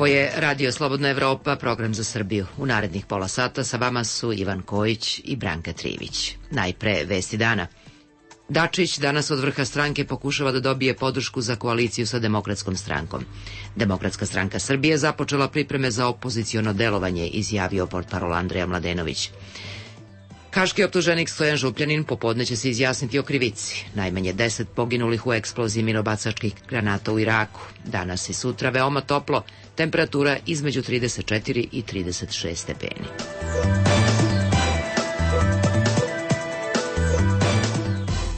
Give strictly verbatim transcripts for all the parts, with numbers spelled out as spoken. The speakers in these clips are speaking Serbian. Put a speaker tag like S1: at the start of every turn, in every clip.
S1: Ovo je Radio Slobodna Evropa, program za Srbiju. U narednih pola sata sa vama su Ivan Kojić i Branka Trivić. Najpre vesti dana. Dačić danas od vrha stranke pokušava da dobije podršku za koaliciju sa Demokratskom strankom. Demokratska stranka Srbije započela pripreme za opoziciono delovanje, izjavio portparol Andreja Mladenović. Haški optuženik Stojan Župljanin popodne će se izjasniti o krivici. Najmanje deset poginulih u eksploziji minobacačkih granata u Iraku. Danas i sutra veoma toplo, temperatura između trideset četiri i trideset šest stepeni.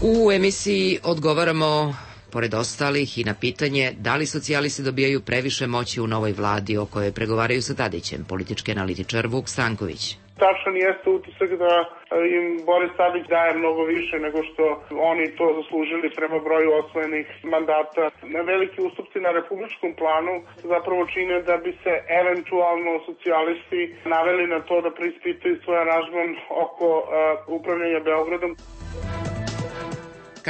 S1: U emisiji odgovaramo, pored ostalih, i na pitanje da li socijalisti dobijaju previše moći u novoj vladi o kojoj pregovaraju sa Tadićem, politički analitičar Vuk Stanković.
S2: Tačan jeste utisak da im Boris Tadić daje mnogo više nego što oni to zaslužili prema broju osvojenih mandata. Veliki ustupci na republičkom planu zapravo čine da bi se eventualno socijalisti naveli na to da preispitaju svoj aranžman oko uh, upravljanja Beogradom.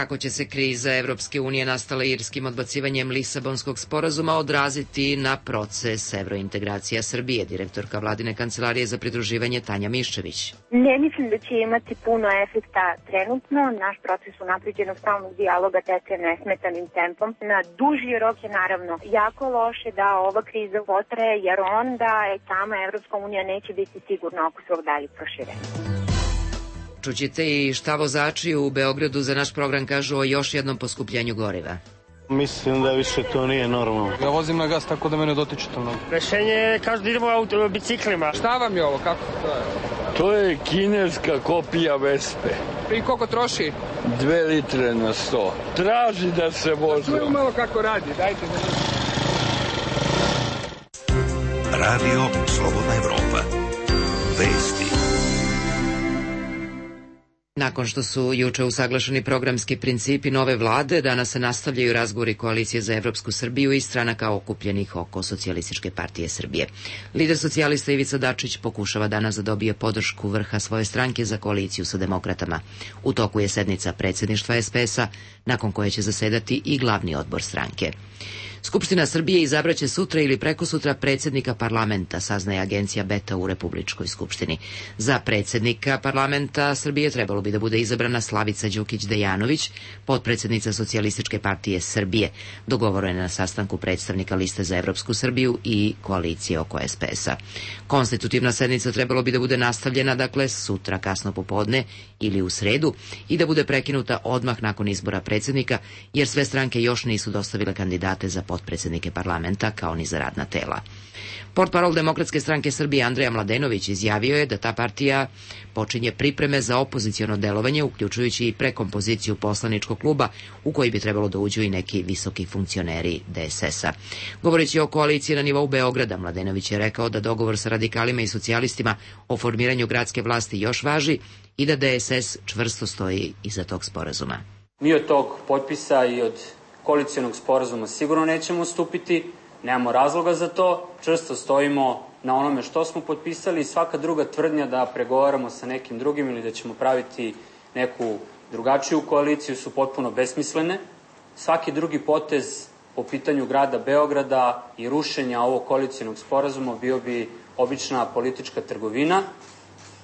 S1: Kako će se kriza Evropske unije nastala irskim odbacivanjem Lisabonskog sporazuma odraziti na proces evrointegracija Srbije, direktorka vladine kancelarije za pridruživanje Tanja Miščević.
S3: Ne mislim da će imati puno efekta trenutno. Naš proces unapređenog stalnog dijaloga teče nesmetanim tempom. Na duži rok je naravno jako loše da ova kriza potraje, jer onda sama Evropska unija neće biti sigurna oko svog daljeg proširenja.
S1: Čućete i šta vozači u Beogradu za naš program kažu o još jednom poskupljenju goriva.
S4: Mislim da više to nije normalno.
S5: Ja vozim na gas tako da me ne dotiče to mnogo.
S6: Rešenje je kažu da idemo auto, biciklima.
S5: Šta vam je ovo, kako to je?
S7: To je kineska kopija Vespe.
S5: I koliko troši?
S7: Dve litre na sto. Traži da se vozi.
S5: Da čujem malo kako radi, dajte da ne...
S8: Radio Slobodna Evropa. Vesti.
S1: Nakon što su juče usaglašeni programski principi nove vlade, danas se nastavljaju razgovori koalicije za Evropsku Srbiju i stranaka okupljenih oko Socijalističke partije Srbije. Lider socijalista Ivica Dačić pokušava danas da dobije podršku vrha svoje stranke za koaliciju sa demokratama. U toku je sednica predsjedništva es pe es-a, nakon koje će zasedati i glavni odbor stranke. Skupština Srbije izabraće sutra ili prekosutra predsjednika parlamenta, saznaje agencija Beta u Republičkoj skupštini. Za predsjednika parlamenta Srbije trebalo bi da bude izabrana Slavica Đukić-Dejanović, potpredsjednica Socijalističke partije Srbije. Dogovoro je na sastanku predstavnika Liste za Evropsku Srbiju i koalicije oko es pe es-a. Konstitutivna sednica trebalo bi da bude nastavljena, dakle, sutra kasno popodne ili u sredu i da bude prekinuta odmah nakon izbora predsjednika, jer sve stranke još nisu dostavile kandidate za potpredsjednike parlamenta, kao ni za radna tela. Portparol Demokratske stranke Srbije Andreja Mladenović izjavio je da ta partija počinje pripreme za opoziciono delovanje, uključujući i prekompoziciju poslaničkog kluba u koji bi trebalo da uđu i neki visoki funkcioneri de es es-a. Govoreći o koaliciji na nivou Beograda, Mladenović je rekao da dogovor sa radikalima i socijalistima o formiranju gradske vlasti još važi i da de es es čvrsto stoji iza tog sporazuma.
S9: Mi od tog potpisa i od koalicijonog sporazuma sigurno nećemo stupiti, nemamo razloga za to, čvrsto stojimo na onome što smo potpisali i svaka druga tvrdnja da pregovaramo sa nekim drugim ili da ćemo praviti neku drugačiju koaliciju su potpuno besmislene. Svaki drugi potez po pitanju grada Beograda i rušenja ovog koalicijonog sporazuma bio bi obična politička trgovina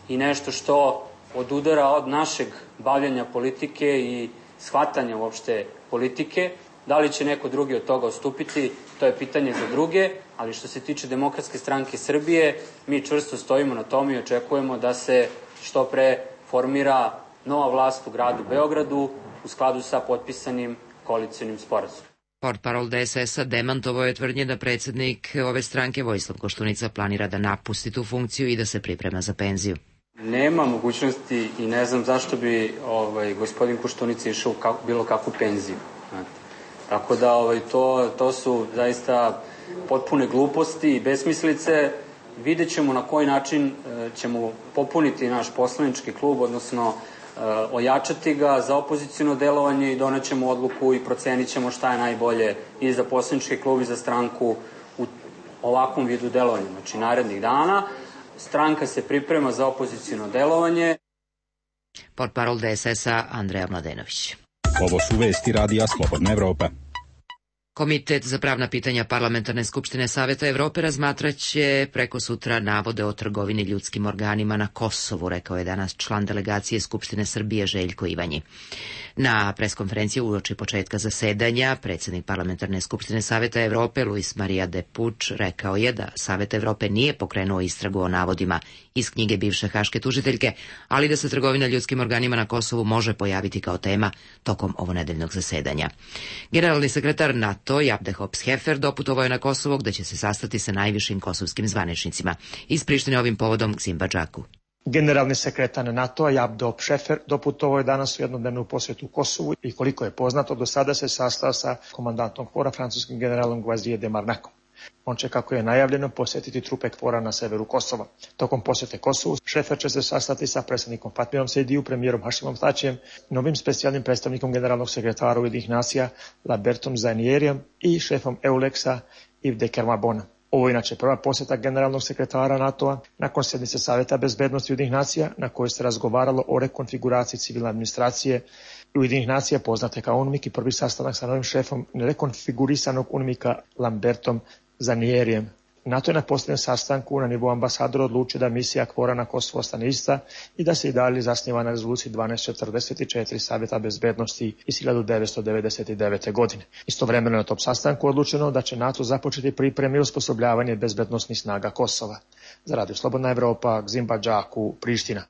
S9: i nešto što odudara od našeg bavljanja politike i shvatanja uopšte politike. Da li će neko drugi od toga odstupiti, to je pitanje za druge, ali što se tiče Demokratske stranke Srbije, mi čvrsto stojimo na tome i očekujemo da se što pre formira nova vlast u gradu Beogradu u skladu sa potpisanim koalicijonim sporazumom.
S1: Portparol de es es-a demantovao je tvrdnje da predsjednik ove stranke Vojislav Koštunica planira da napusti tu funkciju i da se priprema za penziju.
S9: Nema mogućnosti i ne znam zašto bi ovaj, gospodin Koštunica išao u kako, bilo kakvu penziju. Znate. Tako da ovaj, to, to su zaista potpune gluposti i besmislice. Vidjet ćemo na koji način e, ćemo popuniti naš poslanički klub, odnosno e, ojačati ga za opoziciono delovanje i donećemo odluku i procenit ćemo šta je najbolje i za poslanički klub i za stranku u ovakvom vidu delovanja. Znači, narednih dana stranka se priprema za opoziciono delovanje.
S1: Portparol de es es-a Andreja Mladenović.
S10: Ovo su vesti Radija Slobodna Evropa.
S1: Komitet za pravna pitanja Parlamentarne skupštine Saveta Evrope razmatraće preko sutra navode o trgovini ljudskim organima na Kosovu, rekao je danas član delegacije Skupštine Srbije Željko Ivanji. Na preskonferenciji uoči početka zasedanja predsjednik Parlamentarne skupštine Saveta Evrope Luis Maria de Puč rekao je da Savet Evrope nije pokrenuo istragu o navodima iz knjige bivše haške tužiteljke, ali da se trgovina ljudskim organima na Kosovu može pojaviti kao tema tokom ovonedeljnog zasedanja. Generalni sekretar NATO Jabde Hops-Hefer doputovao je na Kosovo gde će se sastati sa najvišim kosovskim zvaničnicima. Iz Prištine ovim povodom Gzim Badžaku.
S10: Generalni sekretar NATO-a Jabde Hops-Hefer doputovao je danas u jednodnevnu posjetu Kosovu i koliko je poznato do sada se sastao sa komandantom KFOR-a francuskim generalom Gvazije de Marnakom. On će, kako je najavljeno, posjetiti trupe KFOR-a na severu Kosova. Tokom posjete Kosovu, Šefer će se sastati sa predsjednikom Fatmirom Sejdiju, premijerom Hašimom Tačijem, novim specijalnim predstavnikom generalnog sekretara Ujedinjenih nacija Lambertom Zajnierijem i šefom Euleksa Yves de Kermabona. Ovo je inače prva posjeta generalnog sekretara NATO-a nakon sjednice Saveta bezbednosti Ujedinjenih nacija na kojoj se razgovaralo o rekonfiguraciji civilne administracije Ujedinjenih nacija poznate kao UNMIK i prvi sastanak sa novim šefom rekonfigurisanog UNMIK-a Lambertom Zajnierijem. NATO je na posljednjem sastanku na nivou ambasadora odlučio da misija KFOR-a na Kosovo ostane ista i da se i dalje zasniva na rezoluciji dvanaest četrdeset četiri Savjeta bezbednosti iz hiljadu devetsto devedeset devete. godine. Istovremeno na tom sastanku odlučeno da će NATO započeti pripreme i osposobljavanje bezbednosnih snaga Kosova. Za Radio Slobodna Evropa, Gzim Badžaku, Priština.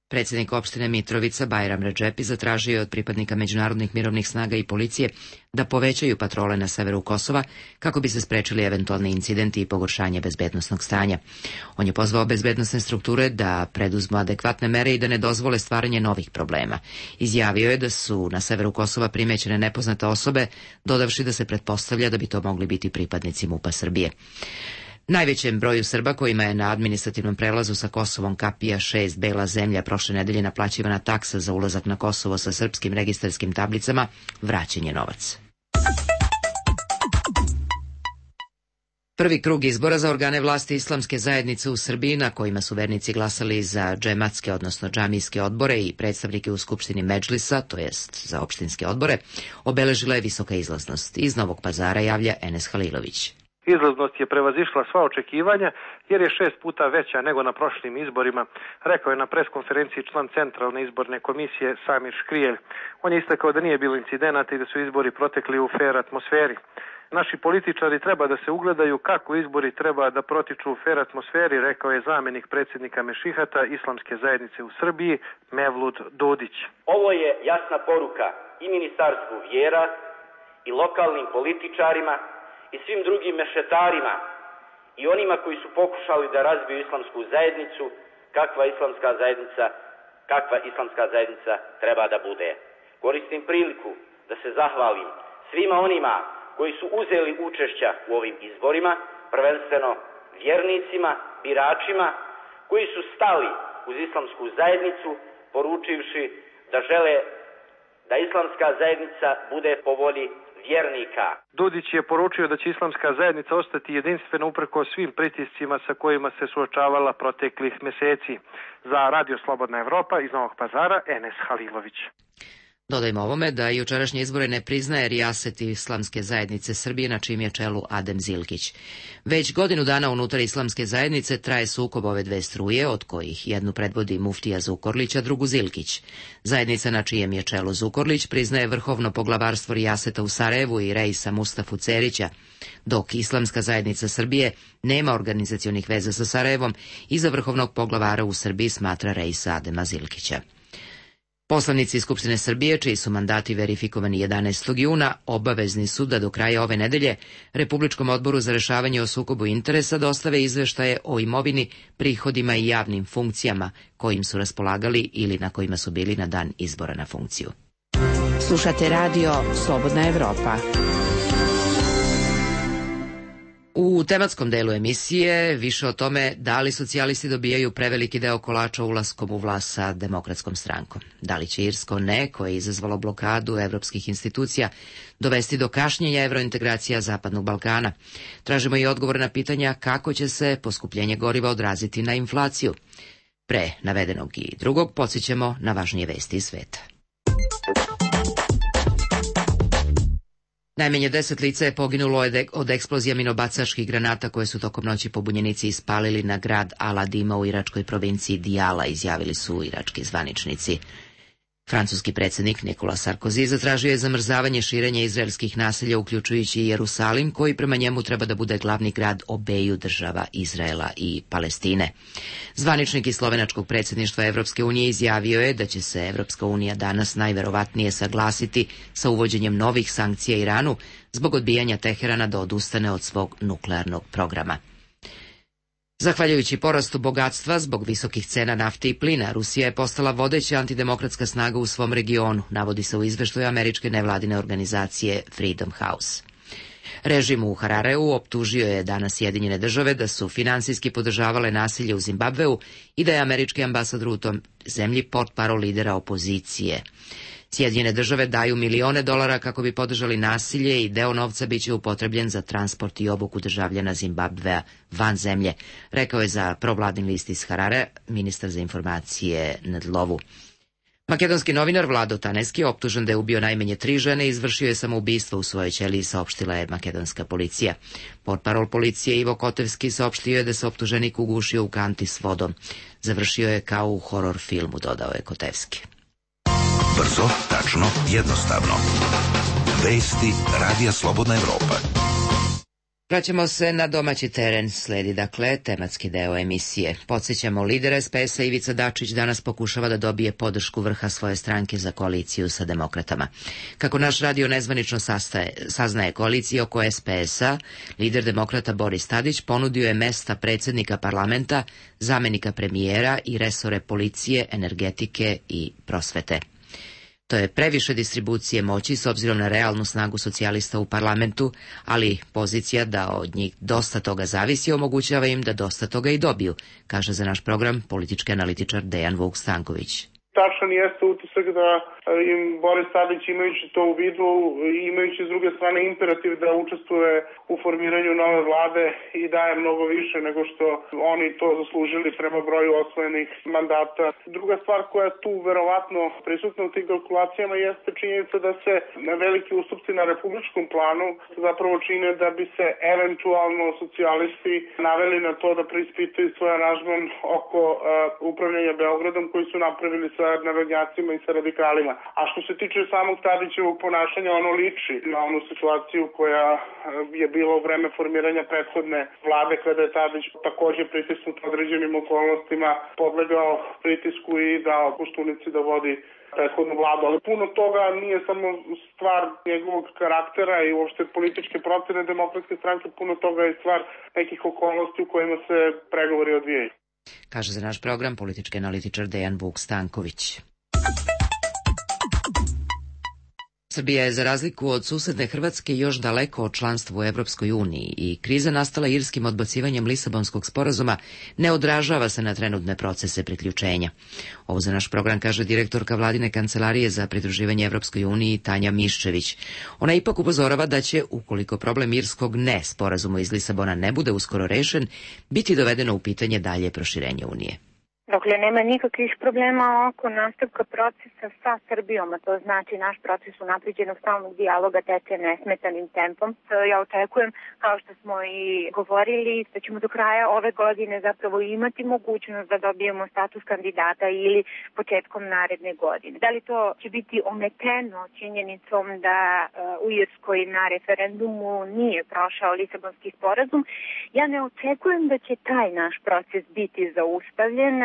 S1: Predsjednik opštine Mitrovica Bajram Redžepi zatražio je od pripadnika međunarodnih mirovnih snaga i policije da povećaju patrole na severu Kosova kako bi se sprečili eventualni incidenti i pogoršanje bezbednosnog stanja. On je pozvao bezbednosne strukture da preduzmu adekvatne mere i da ne dozvole stvaranje novih problema. Izjavio je da su na severu Kosova primećene nepoznate osobe, dodavši da se pretpostavlja da bi to mogli biti pripadnici MUP-a Srbije. Najvećem broju Srba kojima je na administrativnom prelazu sa Kosovom Kapija šest Bela zemlja prošle nedelje naplaćivana taksa za ulazak na Kosovo sa srpskim registarskim tablicama, vraćen je novac. Prvi krug izbora za organe vlasti islamske zajednice u Srbiji, na kojima su vernici glasali za džematske, odnosno džamijske odbore i predstavnike u Skupštini Medžlisa, to jest za opštinske odbore, obeležila je visoka izlaznost. Iz Novog Pazara javlja Enes Halilović.
S11: Izlaznost je prevazišla sva očekivanja jer je šest puta veća nego na prošlim izborima, rekao je na preskonferenciji član Centralne izborne komisije Samir Škrijelj. On je istakao da nije bilo incidenata i da su izbori protekli u fer atmosferi. Naši političari treba da se ugledaju kako izbori treba da protiču u fer atmosferi, rekao je zamenik predsjednika Mešihata Islamske zajednice u Srbiji Mevlud Dodić.
S12: Ovo je jasna poruka i Ministarstvu vjera i lokalnim političarima i svim drugim mešetarima i onima koji su pokušali da razbiju islamsku zajednicu, kakva islamska zajednica, kakva islamska zajednica treba da bude. Koristim priliku da se zahvalim svima onima koji su uzeli učešća u ovim izborima, prvenstveno vjernicima, biračima, koji su stali uz islamsku zajednicu, poručivši da žele da islamska zajednica bude po volji vjernika.
S11: Dodić je poručio da će islamska zajednica ostati jedinstvena uprko svim pritiscima sa kojima se suočavala proteklih meseci. Za Radio Slobodna Evropa iz Novog Pazara, Enes Halilović.
S1: Dodajmo ovome da jučerašnje izbore ne priznaje Rijaset Islamske zajednice Srbije, na čijem je čelu Adem Zilkić. Već godinu dana unutar Islamske zajednice traje sukob ove dve struje, od kojih jednu predvodi muftija Zukorlić, a drugu Zilkić. Zajednica na čijem je čelu Zukorlić priznaje vrhovno poglavarstvo Rijaseta u Sarajevu i Reisa Mustafu Cerića, dok Islamska zajednica Srbije nema organizacionih veza sa Sarajevom i za vrhovnog poglavara u Srbiji smatra Reisa Adema Zilkića. Poslanici Skupštine Srbije, čiji su mandati verifikovani jedanaestog juna, obavezni su da do kraja ove nedelje Republičkom odboru za rešavanje o sukobu interesa dostave izveštaje o imovini, prihodima i javnim funkcijama kojim su raspolagali ili na kojima su bili na dan izbora na funkciju.
S13: Slušate radio Slobodna Evropa.
S1: U tematskom delu emisije više o tome da li socijalisti dobijaju preveliki deo kolača ulaskom u vlast sa Demokratskom strankom. Da li će irsko ne, koje je izazvalo blokadu evropskih institucija, dovesti do kašnjenja evrointegracija Zapadnog Balkana. Tražimo i odgovor na pitanja kako će se poskupljenje goriva odraziti na inflaciju. Pre navedenog i drugog podsjećamo na važnije vesti iz sveta. Najmanje deset lica je poginulo od eksplozija minobacačkih granata koje su tokom noći pobunjenici ispalili na grad Al-Adima u iračkoj provinciji Dijala, izjavili su irački zvaničnici. Francuski predsjednik Nikola Sarkozy zatražio je zamrzavanje širenja izraelskih naselja, uključujući i Jerusalim, koji prema njemu treba da bude glavni grad obeju država Izraela i Palestine. Zvaničnik iz slovenačkog predsjedništva Evropske unije izjavio je da će se Evropska unija danas najverovatnije saglasiti sa uvođenjem novih sankcija Iranu zbog odbijanja Teherana da odustane od svog nuklearnog programa. Zahvaljujući porastu bogatstva zbog visokih cena nafte i plina, Rusija je postala vodeća antidemokratska snaga u svom regionu, navodi se u izveštaju američke nevladine organizacije Freedom House. Režim u Harareu optužio je danas Sjedinjene države da su finansijski podržavale nasilje u Zimbabveu i da je američki ambasador u tom zemlji portparol lidera opozicije. Sjedinjene države daju milione dolara kako bi podržali nasilje i deo novca biće upotrebljen za transport i obuku državljana Zimbabvea van zemlje, rekao je za provladin list iz Harare ministar za informacije Ndlovu. Makedonski novinar Vlado Taneski, optužen da je ubio najmanje tri žene i izvršio je samoubistvo u svojoj ćeliji, saopštila je makedonska policija. Portparol policije Ivo Kotevski saopštio je da se optuženik ugušio u kanti s vodom. Završio je kao u horor filmu, dodao je Kotevski.
S8: Brzo, tačno, jednostavno. Vesti Radija Slobodna Evropa.
S1: Vraćamo se na domaći teren, sledi dakle tematski deo emisije. Podsjećamo, lider es pe es-a Ivica Dačić danas pokušava da dobije podršku vrha svoje stranke za koaliciju sa demokratama. Kako naš radio nezvanično sastaje, saznaje, koalicija oko es pe es-a, lider demokrata Boris Tadić ponudio je mesta predsjednika parlamenta, zamenika premijera i resore policije, energetike i prosvete. To je previše distribucije moći s obzirom na realnu snagu socijalista u parlamentu, ali pozicija da od njih dosta toga zavisi omogućava im da dosta toga i dobiju, kaže za naš program politički analitičar Dejan Vuk Stanković.
S2: Tačan jeste utisak da im Boris Tadić, imajući to u vidu i imajući s druge strane imperativ da učestvuje u formiranju nove vlade i daje mnogo više nego što oni to zaslužili prema broju osvojenih mandata. Druga stvar koja je tu verovatno prisutna u tim kalkulacijama jeste činjenica da se veliki ustupci na republičkom planu zapravo čine da bi se eventualno socijalisti naveli na to da preispitaju svoj aranžman oko uh, upravljanja Beogradom koji su napravili sa narodnjacima i sa radikalima. A što se tiče samog Tadićevog ponašanja, ono liči na onu situaciju koja je bila u vreme formiranja prethodne vlade, kada je Tadić takođe pritisnut određenim okolnostima, podlegao pritisku i dao Koštunici da vodi prethodnu vladu. Ali puno toga nije samo stvar njegovog karaktera i uopšte političke procene demokratske stranke, puno toga je stvar nekih okolnosti u kojima se pregovori odvijaju.
S1: Kaže za naš program politički analitičar Dejan Vuk Stanković. Srbija je za razliku od susedne Hrvatske još daleko od članstva u Evropskoj uniji i kriza nastala irskim odbacivanjem Lisabonskog sporazuma ne odražava se na trenutne procese priključenja. Ovo za naš program kaže direktorka vladine kancelarije za pridruživanje Evropskoj uniji Tanja Miščević. Ona ipak upozorava da će, ukoliko problem irskog ne sporazuma iz Lisabona ne bude uskoro rešen, biti dovedeno u pitanje dalje proširenje Unije.
S3: Dakle, nema nikakvih problema oko nastavka procesa sa Srbijom, a to znači naš proces unapređenog stalnog dijaloga teče nesmetanim tempom. Ja očekujem, kao što smo i govorili, da ćemo do kraja ove godine zapravo imati mogućnost da dobijemo status kandidata ili početkom naredne godine. Da li to će biti ometeno činjenicom da uh, u Irskoj na referendumu nije prošao Lisabonski sporazum? Ja ne očekujem da će taj naš proces biti zaustavljen.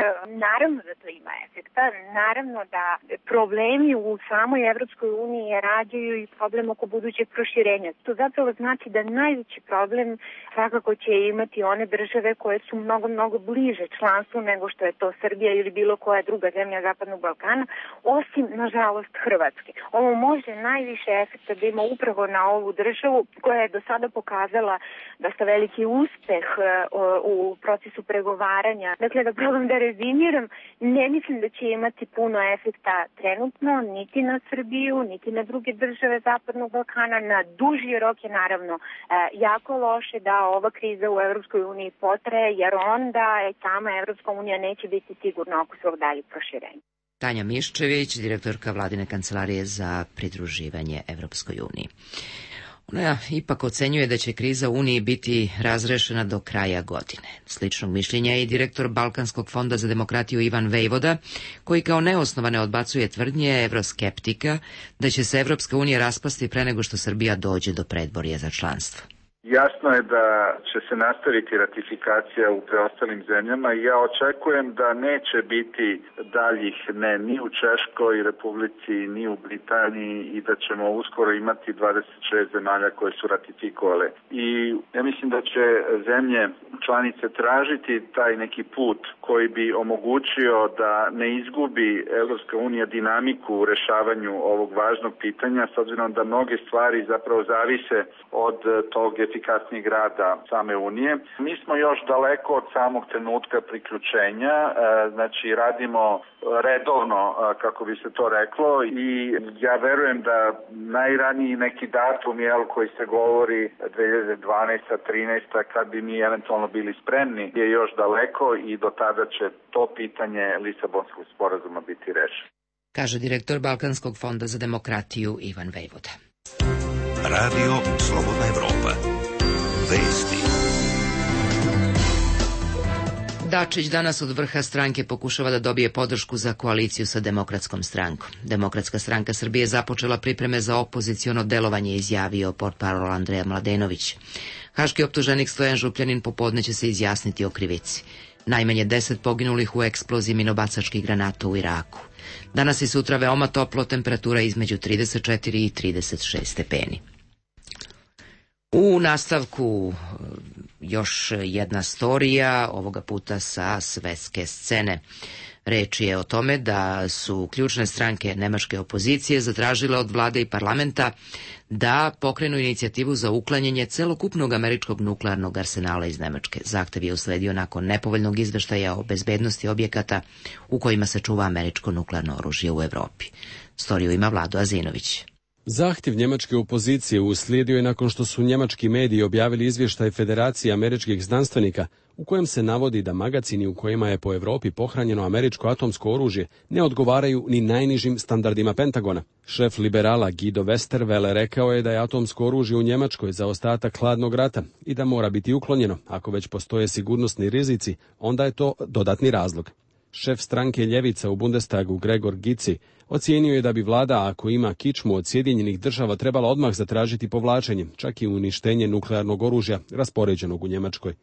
S3: Naravno da to ima efekta, naravno da problemi u samoj Evropskoj uniji rađaju i problem oko budućeg proširenja. To zapravo znači da najveći problem svakako će imati one države koje su mnogo, mnogo bliže članstvu nego što je to Srbija ili bilo koja druga zemlja Zapadnog Balkana, osim, nažalost, Hrvatske. Ovo može najviše efekta da ima upravo na ovu državu koja je do sada pokazala da sa veliki uspeh u procesu pregovaranja. Dakle, da problem da rezimiram, ne mislim da će imati puno efekta trenutno, niti na Srbiju, niti na druge države Zapadnog Balkana. Na duži rok je naravno jako loše da ova kriza u Evropskoj uniji potraje, jer onda sama Evropska unija neće biti sigurna oko svog daljeg proširenja.
S1: Tanja Miščević, direktorka vladine kancelarije za pridruživanje Evropskoj uniji. Ona ipak ocenjuje da će kriza u Uniji biti razrešena do kraja godine. Sličnog mišljenja je i direktor Balkanskog fonda za demokratiju Ivan Vejvoda, koji kao neosnovane odbacuje tvrdnje evroskeptika da će se Evropska unija raspasti pre nego što Srbija dođe do predvorja za članstvo.
S14: Jasno je da će se nastaviti ratifikacija u preostalim zemljama i ja očekujem da neće biti daljih ne ni u Češkoj Republici, ni u Britaniji i da ćemo uskoro imati dvadeset šest zemalja koje su ratifikovale. I ja mislim da će zemlje članice tražiti taj neki put koji bi omogućio da ne izgubi Evropska unija dinamiku u rešavanju ovog važnog pitanja, s obzirom da mnoge stvari zapravo zavise od tog efikasnijeg rada same Unije. Mi smo još daleko od samog trenutka priključenja, znači radimo redovno, kako bi se to reklo, i ja verujem da najraniji neki datum jel, koji se govori dve hiljade dvanaesta trinaesta kad bi mi eventualno bili spremni je još daleko i do tada će to pitanje Lisabonskog sporazuma biti rešeno.
S1: Kaže direktor Balkanskog fonda za demokratiju Ivan Vejvoda.
S8: Radio Slobodna Evropa. Vesti.
S1: Dačić danas od vrha stranke pokušava da dobije podršku za koaliciju sa Demokratskom strankom. Demokratska stranka Srbije započela pripreme za opoziciono delovanje, izjavio portparol Andreja Mladenović. Haški optuženik Stojan Župljanin popodne će se izjasniti o krivici. Najmanje deset poginulih u eksploziji minobacačkih granata u Iraku. Danas i sutra veoma toplo, temperatura između trideset četiri i trideset šest stepeni. U nastavku još jedna storija, ovoga puta sa svetske scene. Reč je o tome da su ključne stranke nemačke opozicije zatražile od vlade i parlamenta da pokrenu inicijativu za uklanjanje celokupnog američkog nuklearnog arsenala iz Nemačke. Zahtev je usledio nakon nepovoljnog izveštaja o bezbednosti objekata u kojima se čuva američko nuklearno oružje u Evropi. Storiju ima Vlado Azinović.
S15: Zahtjev njemačke opozicije uslijedio je nakon što su njemački mediji objavili izvještaj Federacije američkih znanstvenika u kojem se navodi da magacini u kojima je po Evropi pohranjeno američko atomsko oružje ne odgovaraju ni najnižim standardima Pentagona. Šef liberala Guido Westerwelle rekao je da je atomsko oružje u Njemačkoj zaostatak hladnog rata i da mora biti uklonjeno. Ako već postoje sigurnosni rizici, onda je to dodatni razlog. Šef stranke Ljevica u Bundestagu Gregor Gysi ocijenio je da bi vlada, ako ima kičmu od Sjedinjenih država, trebala odmah zatražiti povlačenje, čak i uništenje nuklearnog oružja raspoređenog u Njemačkoj.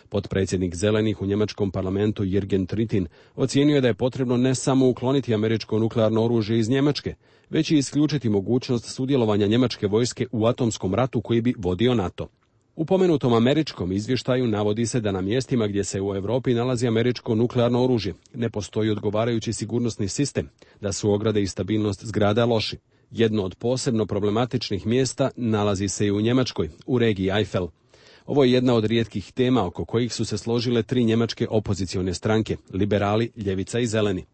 S15: Potpredsjednik Zelenih u njemačkom parlamentu Jürgen Trittin ocijenio je da je potrebno ne samo ukloniti američko nuklearno oružje iz Njemačke, već i isključiti mogućnost sudjelovanja njemačke vojske u atomskom ratu koji bi vodio NATO. U pomenutom američkom izvještaju navodi se da na mjestima gdje se u Europi nalazi američko nuklearno oružje ne postoji odgovarajući sigurnosni sistem, da su ograde i stabilnost zgrada loši. Jedno od posebno problematičnih mjesta nalazi se i u Njemačkoj, u regiji Eifel. Ovo je jedna od rijetkih tema oko kojih su se složile tri njemačke opozicione stranke, liberali, ljevica i zeleni.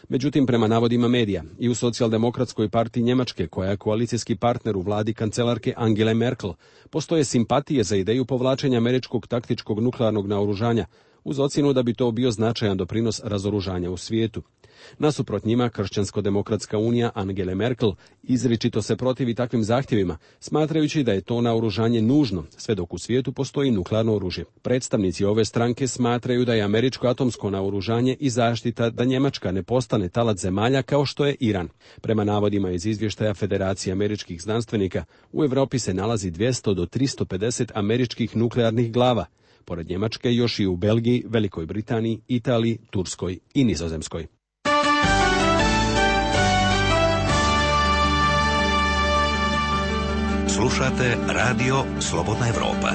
S15: Međutim, prema navodima medija, i u socijaldemokratskoj partiji Njemačke, koja je koalicijski partner u vladi kancelarke Angele Merkel, postoje simpatije za ideju povlačenja američkog taktičkog nuklearnog naoružanja, uz ocjenu da bi to bio značajan doprinos razoružanja u svijetu. Nasuprot njima, Kršćansko-demokratska unija Angele Merkel izričito se protivi takvim zahtjevima, smatrajući da je to naoružanje nužno, sve dok u svijetu postoji nuklearno oružje. Predstavnici ove stranke smatraju da je američko atomsko naoružanje i zaštita da Njemačka ne postane talac zemalja kao što je Iran. Prema navodima iz izvještaja Federacije američkih znanstvenika, u Europi se nalazi dvjesto do tristo pedeset američkih nuklearnih glava, pored Njemačke još i u Belgiji, Velikoj Britaniji, Italiji, Turskoj i Nizozemskoj.
S8: Slušate Radio Slobodna Evropa.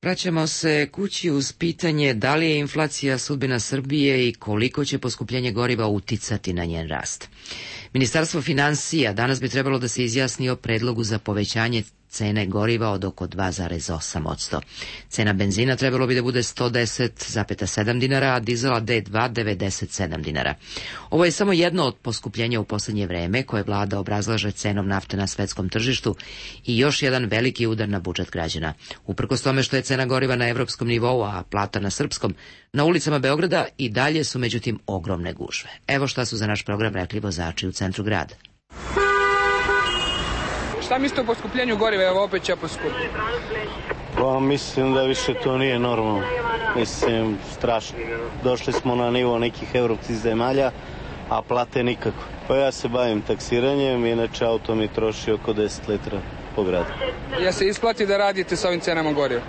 S1: Vraćamo se kući uz pitanje da li je inflacija sudbina Srbije i koliko će poskupljenje goriva uticati na njen rast. Ministarstvo finansija danas bi trebalo da se izjasni o predlogu za povećanje cene goriva od oko dva zarez osam posto. Cena benzina trebalo bi da bude sto deset zarez sedam dinara, a dizela D dva devedeset sedam dinara. Ovo je samo jedno od poskupljenja u posljednje vreme koje vlada obrazlaže cenom nafte na svetskom tržištu i još jedan veliki udar na budžet građana. Uprkos tome što je cena goriva na evropskom nivou, a plata na srpskom, na ulicama Beograda i dalje su međutim ogromne gužve. Evo šta su za naš program rekli vozači u centru grada.
S5: Šta mislite o poskupljenju goriva? Evo opet će poskupiti.
S4: Pa mislim da više to nije normalno. Mislim, strašno. Došli smo na nivo nekih evropskih zemalja, a plate nikako. Pa ja se bavim taksiranjem, inače auto mi troši oko deset litra po gradu.
S5: Ja se isplati da radite sa ovim cenama goriva?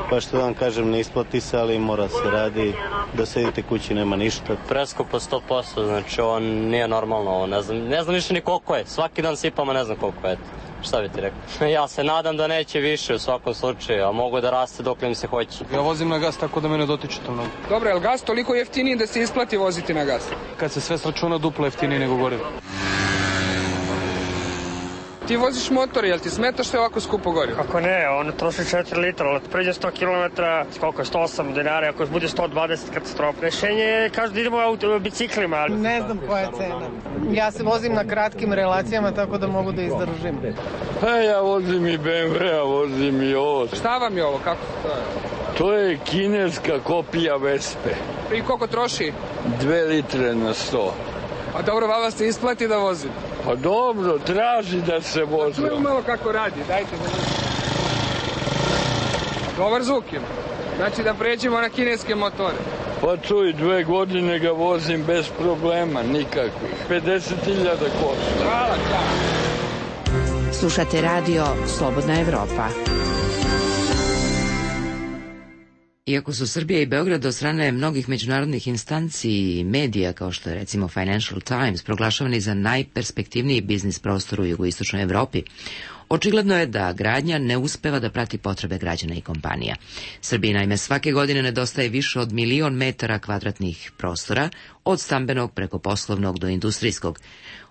S4: Pa što vam kažem, ne isplati se, ali mora se radi. Da sedite kući nema ništa.
S16: Preskupo sto posto, znači ovo nije normalno. Ovo ne znam, ne znam više ni koliko je. Svaki dan sipamo, ne znam koliko je. Šta bi ti rekao? Ja se nadam da neće više u svakom slučaju, a mogu da raste dok mi se hoće.
S5: Ja vozim na gas tako da me ne dotiče to mnogo. Dobro, je li gas toliko jeftiniji da se isplati voziti na gas? Kad se sve sračuna, duplo jeftiniji nego gorivo. Ti voziš motor, jel ti smeta što je ovako skupo gorivo?
S6: Kako ne, on troši četiri litra, ali pređe sto kilometara, koliko je sto osam dinara, ako bude sto dvadeset katastrofa. Rešenje je, kažu da idemo auto, biciklima.
S17: Ne znam koja je cena. Ja se vozim na kratkim relacijama, tako da mogu da izdržim.
S7: Pa ja vozim i be em ve, a vozim i ovo.
S5: Šta vam je ovo, kako to je?
S7: To je kineska kopija Vespe.
S5: I koliko troši?
S7: Dve litre na sto.
S5: A dobro, vama se isplati da vozim?
S7: Pa dobro, traži da se vozi.
S5: Čujemo malo kako radi, dajte da vidimo. Dobar zvuk ima. Znači da pređemo na kineske motore.
S7: Pa čuj, dve godine ga vozim bez problema, nikakvih. pedeset hiljada košta.
S5: Hvala, hvala.
S13: Slušate radio Slobodna Evropa.
S1: Iako su Srbija i Beograd od strane mnogih međunarodnih instanci i medija, kao što je recimo Financial Times, proglašavani za najperspektivniji biznis prostor u jugoistočnoj Evropi, očigledno je da gradnja ne uspeva da prati potrebe građana i kompanija. Srbiji naime svake godine nedostaje više od milion metara kvadratnih prostora, od stambenog preko poslovnog do industrijskog.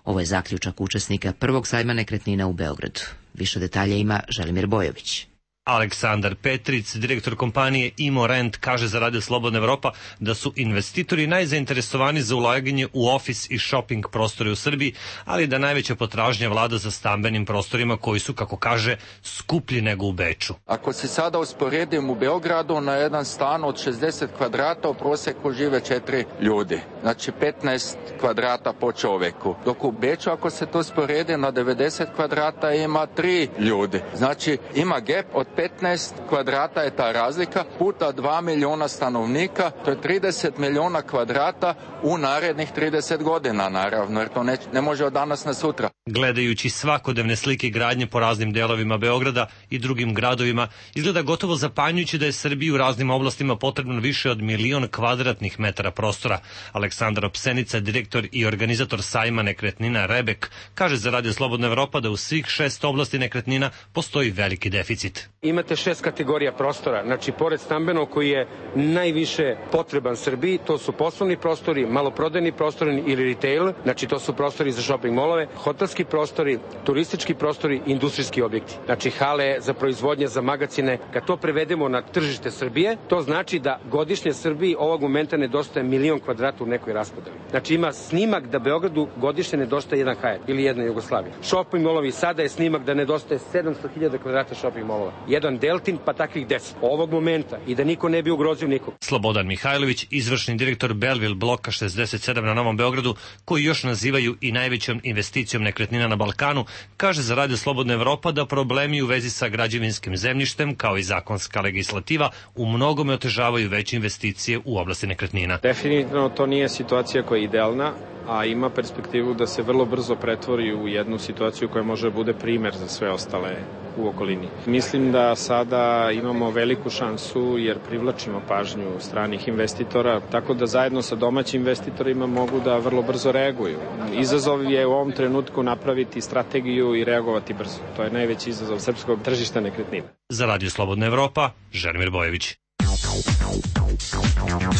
S1: Ovo je zaključak učesnika prvog sajma nekretnina u Beogradu. Više detalja ima Želimir Bojović.
S18: Aleksandar Petric, direktor kompanije Imorent, kaže za Radio Slobodna Evropa da su investitori najzainteresovani za ulaganje u ofis i shopping prostore u Srbiji, ali da najveća potražnja vlada za stambenim prostorima koji su, kako kaže, skuplji nego u Beču.
S19: Ako se sada usporedim u Beogradu, na jedan stan od šezdeset kvadrata u proseku žive četiri ljudi. Znači petnaest kvadrata po čoveku. Dok u Beču, ako se to usporedi, na devedeset kvadrata ima tri ljudi. Znači ima gap od petnaest kvadrata je ta razlika, puta dva miliona stanovnika, to je trideset miliona kvadrata u narednih trideset godina, naravno, jer to ne, ne može od danas na sutra.
S18: Gledajući svakodnevne slike gradnje po raznim delovima Beograda i drugim gradovima, izgleda gotovo zapanjujuće da je Srbiji u raznim oblastima potrebno više od milion kvadratnih metara prostora. Aleksandar Opsenica, direktor i organizator sajma nekretnina Rebek, kaže za Radio Slobodna Evropa da u svih šest oblasti nekretnina postoji veliki deficit.
S20: Imate šest kategorija prostora, znači pored stambenog koji je najviše potreban Srbiji, to su poslovni prostori, maloprodajni prostori ili retail, znači to su prostori za shopping molove, hotelski prostori, turistički prostori, industrijski objekti. Znači hale za proizvodnje, za magacine. Kad to prevedemo na tržište Srbije, to znači da godišnje Srbiji ovog momenta nedostaje milion kvadrata u nekoj raspodeli. Znači ima snimak da Beogradu godišnje nedostaje jedan Hyatt ili jedna Jugoslavija. Shopping molovi, sada je snimak da nedostaje sedamsto hiljada kvadrata shopping molova. Jedan Deltin, pa takvih deset. Ovog momenta i da niko ne bi ugrozio nikog.
S18: Slobodan Mihajlović, izvršni direktor Belleville bloka šezdeset sedam na Novom Beogradu, koji još nazivaju i najvećom investicijom nekretnina na Balkanu, kaže za Radio Slobodna Evropa da problemi u vezi sa građevinskim zemljištem, kao i zakonska legislativa, u mnogome otežavaju veće investicije u oblasti nekretnina.
S21: Definitivno to nije situacija koja je idealna, a ima perspektivu da se vrlo brzo pretvori u jednu situaciju koja može da bude primer za sve ostale u okolini. Mislim da sada imamo veliku šansu jer privlačimo pažnju stranih investitora, tako da zajedno sa domaćim investitorima mogu da vrlo brzo reaguju. Izazov je u ovom trenutku napraviti strategiju i reagovati brzo. To je najveći izazov srpskog tržišta nekretnina.
S18: Za Radio Slobodna Evropa, Želimir Bojević.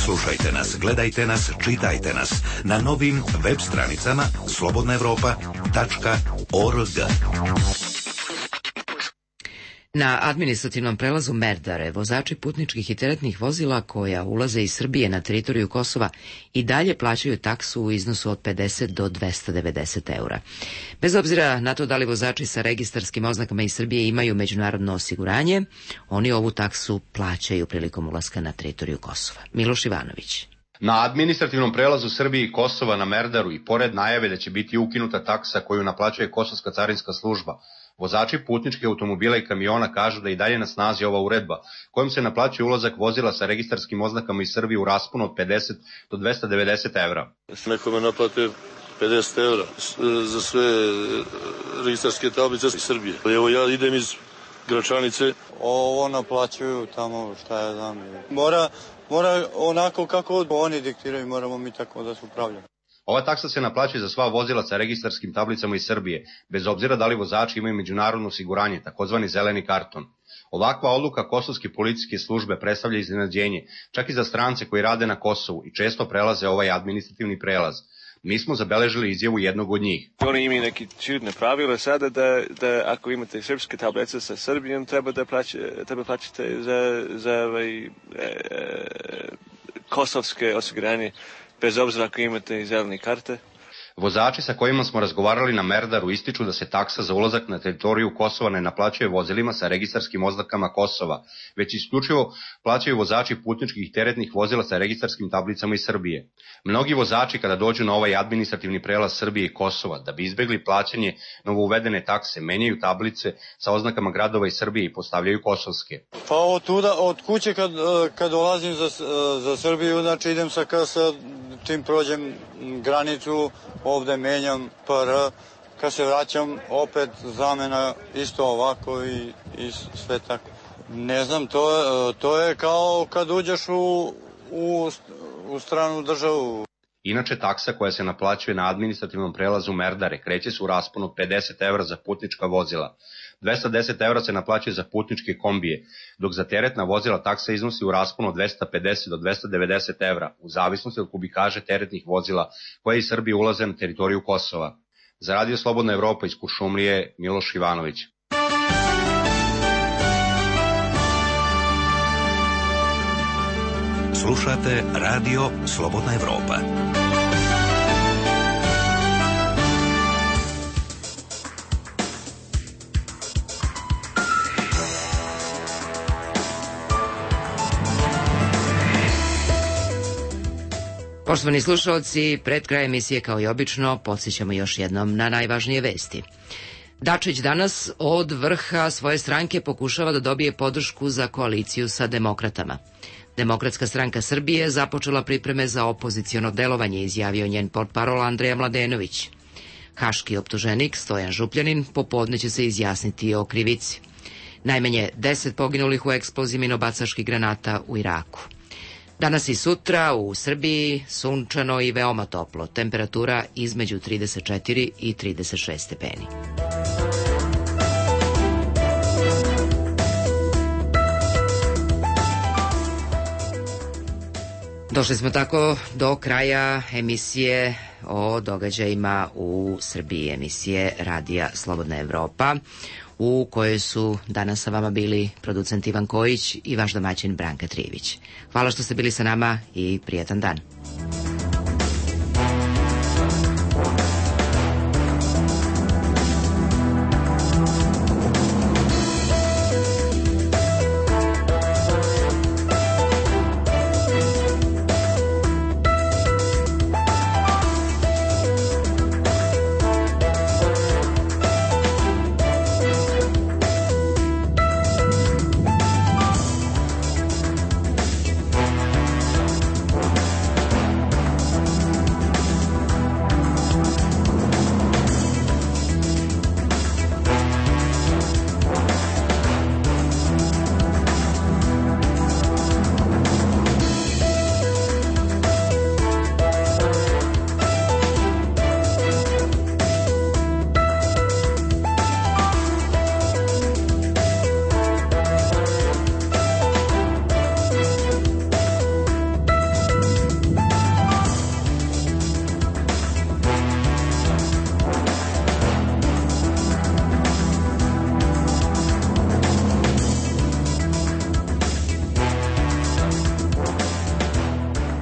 S8: Slušajte nas, gledajte nas, čitajte nas na novim web stranicama slobodna evropa tačka org.
S1: Na administrativnom prelazu Merdare vozači putničkih i teretnih vozila koja ulaze iz Srbije na teritoriju Kosova i dalje plaćaju taksu u iznosu od pedeset do dvesta devedeset eura. Bez obzira na to da li vozači sa registarskim oznakama iz Srbije imaju međunarodno osiguranje, oni ovu taksu plaćaju prilikom ulaska na teritoriju Kosova. Miloš Ivanović.
S9: Na administrativnom prelazu Srbije i Kosova na Merdaru i pored najave da će biti ukinuta taksa koju naplaćuje Kosovska carinska služba, vozači putničkih automobila i kamiona kažu da i dalje na snazi ova uredba, kojom se naplaćuje ulazak vozila sa registarskim oznakama iz Srbije u rasponu od pedeset do dvesta devedeset evra.
S22: Nekome naplate pedeset evra za sve registarske tablice iz Srbije. Evo ja idem iz Gračanice.
S23: Ovo naplaćuju tamo, šta ja znam. Mora, mora onako kako oni diktiraju, moramo mi tako da se upravljamo.
S9: Ova taksa se naplaćuje za sva vozila sa registarskim tablicama iz Srbije, bez obzira da li vozači imaju međunarodno osiguranje, takozvani zeleni karton. Ovakva odluka kosovske policijske službe predstavlja iznenađenje, čak i za strance koji rade na Kosovu i često prelaze ovaj administrativni prelaz. Mi smo zabeležili izjavu jednog od njih.
S24: Oni imaju neki čudne pravila sada da, da ako imate srpske tablice sa Srbijom treba da plaće, treba plaćate za, za ovaj, e, kosovske osiguranje, bez obzira ako imate zelene karte.
S9: Vozači sa kojima smo razgovarali na Merdaru ističu da se taksa za ulazak na teritoriju Kosova ne naplaćuje vozilima sa registarskim oznakama Kosova, već isključivo plaćaju vozači putničkih i teretnih vozila sa registarskim tablicama iz Srbije. Mnogi vozači kada dođu na ovaj administrativni prelaz Srbije i Kosova, da bi izbegli plaćanje novouvedene takse, menjaju tablice sa oznakama gradova iz Srbije i postavljaju kosovske.
S23: Pa od, tuda, od kuće kad, kad dolazim za, za Srbiju, znači idem sa, sa tim prođem granicu, ovde menjam P R, kad se vraćam opet zamena isto ovako i, i sve tako. Ne znam, to, to je kao kad uđeš u, u, u stranu državu.
S9: Inače, taksa koja se naplaćuje na administrativnom prelazu Merdare kreće se u rasponu od pedeset evra za putnička vozila. dvesta deset evra se naplaćuje za putničke kombije, dok za teretna vozila taksa iznosi u rasponu od dvesta pedeset do dvesta devedeset evra, u zavisnosti od kubikaže teretnih vozila koje iz Srbije ulaze na teritoriju Kosova. Za Radio Slobodna Evropa iz Kuršumlije, Miloš Ivanović.
S8: Slušate Radio Slobodna Evropa.
S1: Poštovani slušalci, pred kraj emisije kao i obično podsjećamo još jednom na najvažnije vesti. Dačić danas od vrha svoje stranke pokušava da dobije podršku za koaliciju sa demokratama. Demokratska stranka Srbije započela pripreme za opoziciono delovanje, izjavio njen portparol Andreja Mladenović. Haški optuženik Stojan Župljanin popodne će se izjasniti o krivici. Najmanje deset poginulih u eksploziji minobacaških granata u Iraku. Danas i sutra u Srbiji sunčano i veoma toplo, temperatura između trideset četiri i trideset šest stepeni. Došli smo tako do kraja emisije o događajima u Srbiji, emisije Radija Slobodna Evropa, u kojoj su danas sa vama bili producent Ivan Kojić i vaš domaćin Branka Trijević. Hvala što ste bili sa nama i prijetan dan.